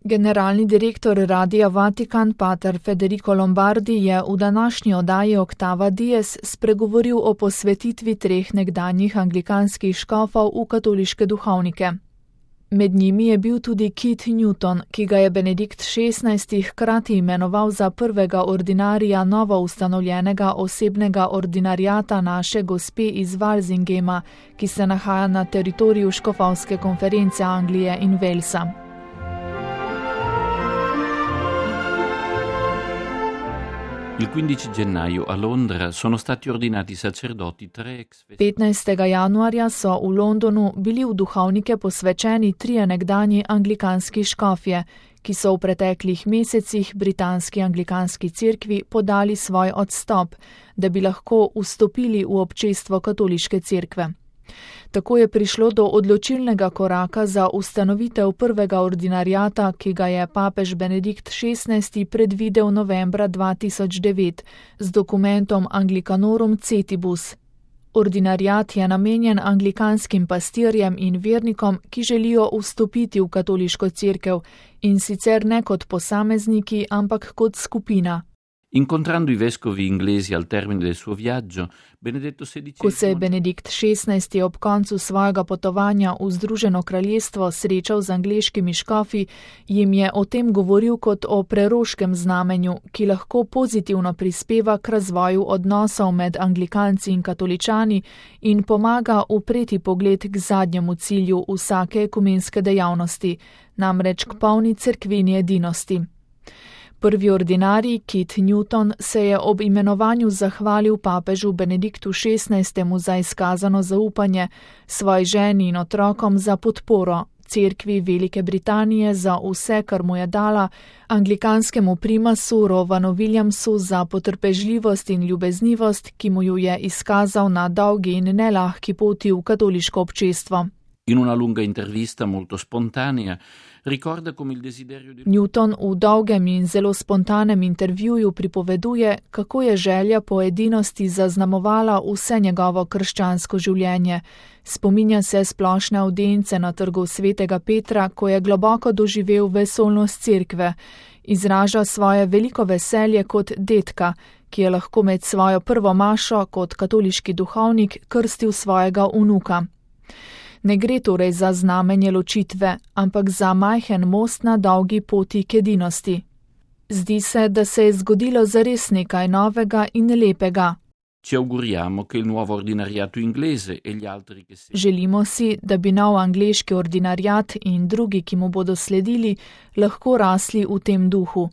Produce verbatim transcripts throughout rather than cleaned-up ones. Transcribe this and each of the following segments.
Generalni direktor Radia Vatikan pater Federico Lombardi je v današnji oddaji Octava Dies spregovoril o posvetitvi treh nekdanjih anglikanskih škofov v katoliške duhovnike. Med njimi je bil tudi Kit Newton, ki ga je Benedikt šestnajsti hkrati imenoval za prvega ordinarija novo ustanovljenega osebnega ordinariata naše gospe iz Walsingema, ki se nahaja na teritoriju škofovske konference Anglije in Walesa. Il quindici gennaio a Londra sono stati ordinati sacerdoti tre ex... petnajstega januarja so v Londonu bili v duhovnike posvečeni trije nekdanji anglikanski škofje, ki so v preteklih mesecih britanski anglikanski cerkvi podali svoj odstop, da bi lahko vstopili v občestvo katoliške cerkve. Tako je prišlo do odločilnega koraka za ustanovitev prvega ordinariata, ki ga je papež Benedikt šestnajsti predvidel novembra dva tisoč devet z dokumentom Anglicanorum Cetibus. Ordinariat je namenjen anglikanskim pastirjem in vernikom, ki želijo vstopiti v katoliško cerkev, in sicer ne kot posamezniki, ampak kot skupina. Incontrando i vescovi inglesi al termine del suo viaggio, Benedetto sedicesimo... Ko se je Benedikt šestnajsti ob koncu svojega potovanja v Združeno kraljestvo srečal z angleškimi škofi, jim je o tem govoril kot o preroškem znamenju, ki lahko pozitivno prispeva k razvoju odnosov med anglikanci in katoličani in pomaga upreti pogled k zadnjemu cilju vsake ekumenske dejavnosti, namreč k polni cerkveni edinosti. Prvi ordinarij, Kit Newton, se je ob imenovanju zahvalil papežu Benediktu šestnajstemu za izkazano zaupanje, svoji ženi in otrokom za podporo, cerkvi Velike Britanije za vse, kar mu je dala, anglikanskemu primasu Rovanu Williamsu za potrpežljivost in ljubeznivost, ki mu ju je izkazal na dolgi in nelahki poti v katoliško občestvo. In una lunga intervista molto spontanea ricorda come il desiderio di... Newton v dolgem in zelo spontanem intervjuju pripoveduje, kako je želja po edinosti zaznamovala vse njegovo krščansko življenje. Spominja se splošne avdience na trgu svetega Petra, ko je globoko doživel vesolnost cerkve. Izraža svoje veliko veselje kot detka, ki je lahko med svojo prvo mašo kot katoliški duhovnik krstil svojega vnuka. Ne gre torej za znamenje ločitve, ampak za majhen most na dolgi poti k edinosti. Zdi se, da se je zgodilo zares nekaj novega in lepega. Ci auguriamo che il nuovo ordinariato inglese e gli altri che se... Želimo si, da bi nov angleški ordinariat in drugi, ki mu bodo sledili, lahko rasli v tem duhu.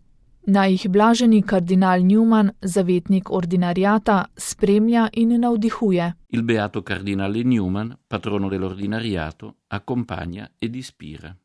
Naj jih blaženi kardinal Newman, zavetnik ordinariata, spremlja in navdihuje. Il beato cardinale Newman, patrono dell'ordinariato, accompagna ed ispira.